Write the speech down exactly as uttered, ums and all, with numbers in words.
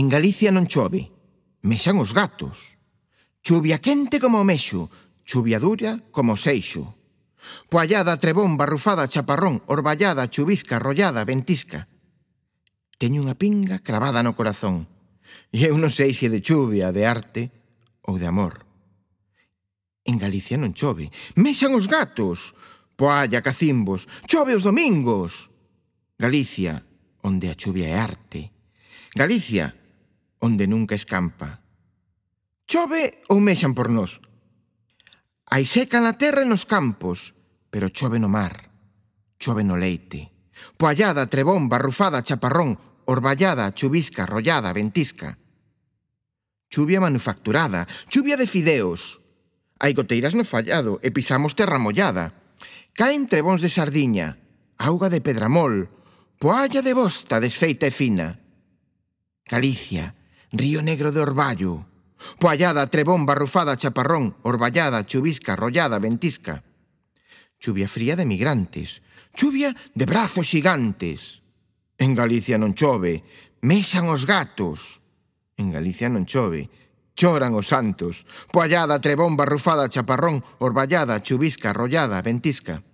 En Galicia non chove, mexan os gatos. Chuvia quente como o mexo, chuvia dura como o seixo. Poallada, trebón, barrufada, chaparrón, orballada, chuvisca, rollada, ventisca. Teño unha pinga cravada no corazón. E eu non sei se de chuvia, de arte ou de amor. En Galicia non chove, mexan os gatos. Poalla, cacimbos, chove os domingos. Galicia, onde a chuvia é arte. Galicia, onde nunca escampa. Chove ou mexan por nós? Hai seca na terra e nos campos, pero chove no mar, chove no leite. Poallada, trebón, barrufada, chaparrón, orballada, chuvisca, rollada, ventisca. Chuvia manufacturada, chuvia de fideos. Hai goteiras no fallado e pisamos terra mollada. Caen trebóns de sardiña, auga de pedramol, poalla de bosta desfeita e fina. Galicia, río negro de orballo. Poallada, trebón, barrufada, chaparrón, orballada, chuvisca, rollada, ventisca. Chuvia fría de migrantes, chuvia de brazos xigantes. En Galicia non chove, mexan os gatos. En Galicia non chove, choran os santos. Poallada, trebón, barrufada, chaparrón, orballada, chuvisca, rollada, ventisca.